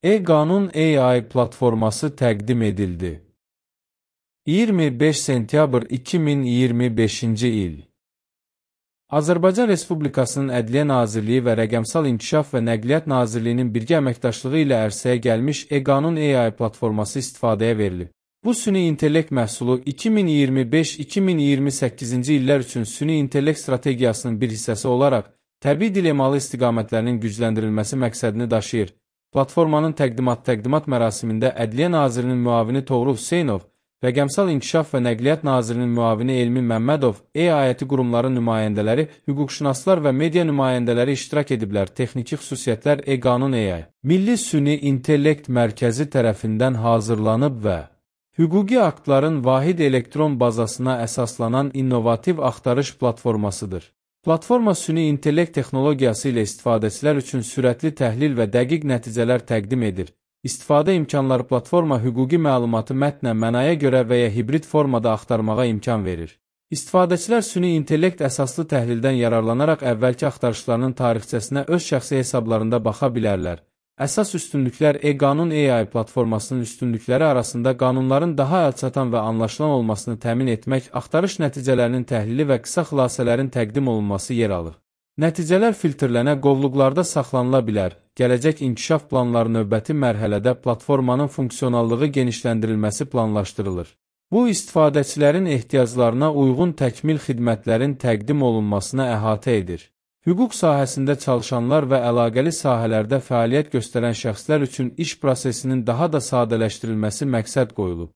E-Qanun AI platforması təqdim edildi. 25 sentyabr 2025-ci il. Azərbaycan Respublikasının Ədliyyə Nazirliyi və Rəqəmsal İnkişaf və Nəqliyyat Nazirliyinin birgə əməkdaşlığı ilə ərsəyə gəlmiş E-Qanun AI platforması istifadəyə verilib. Bu süni intellekt məhsulu 2025-2028-ci illər üçün süni intellekt strategiyasının bir hissəsi olaraq təbii dil emalı istiqamətlərinin gücləndirilməsi məqsədini daşıyır. Platformanın təqdimat mərasimində Ədliyyə Nazirinin müavini Toğrul Hüseynov, Rəqəmsal İnkişaf və Nəqliyyat Nazirinin müavini Elmi Məmmədov, E-ayəti qurumları nümayəndələri, hüquqşünaslar və media nümayəndələri iştirak ediblər. Texniki xüsusiyyətlər E-Qanun AI Milli Süni İntellekt Mərkəzi tərəfindən hazırlanıb və hüquqi aktların vahid elektron bazasına əsaslanan innovativ axtarış platformasıdır. Platforma süni intellekt texnologiyası ilə istifadəçilər üçün sürətli təhlil və dəqiq nəticələr təqdim edir. İstifadə imkanları platforma hüquqi məlumatı mətnən, mənaya görə və ya hibrid formada axtarmağa imkan verir. İstifadəçilər süni intellekt əsaslı təhlildən yararlanaraq əvvəlki axtarışlarının tarixçəsinə öz şəxsi hesablarında baxa bilərlər. Əsas üstünlüklər E-Qanun AI platformasının üstünlükləri arasında qanunların daha əlçatan və anlaşılan olmasını təmin etmək, axtarış nəticələrinin təhlili və qısa xülasələrin təqdim olunması yer alır. Nəticələr filtrlənə, qovluqlarda saxlanıla bilər. Gələcək inkişaf planları növbəti mərhələdə platformanın funksionallığı genişləndirilməsi planlaşdırılır. Bu, istifadəçilərin ehtiyaclarına uyğun təkmil xidmətlərin təqdim olunmasına əhatə edir. Hüquq sahəsində çalışanlar və əlaqəli sahələrdə fəaliyyət göstərən şəxslər üçün iş prosesinin daha da sadələşdirilməsi məqsəd qoyulub.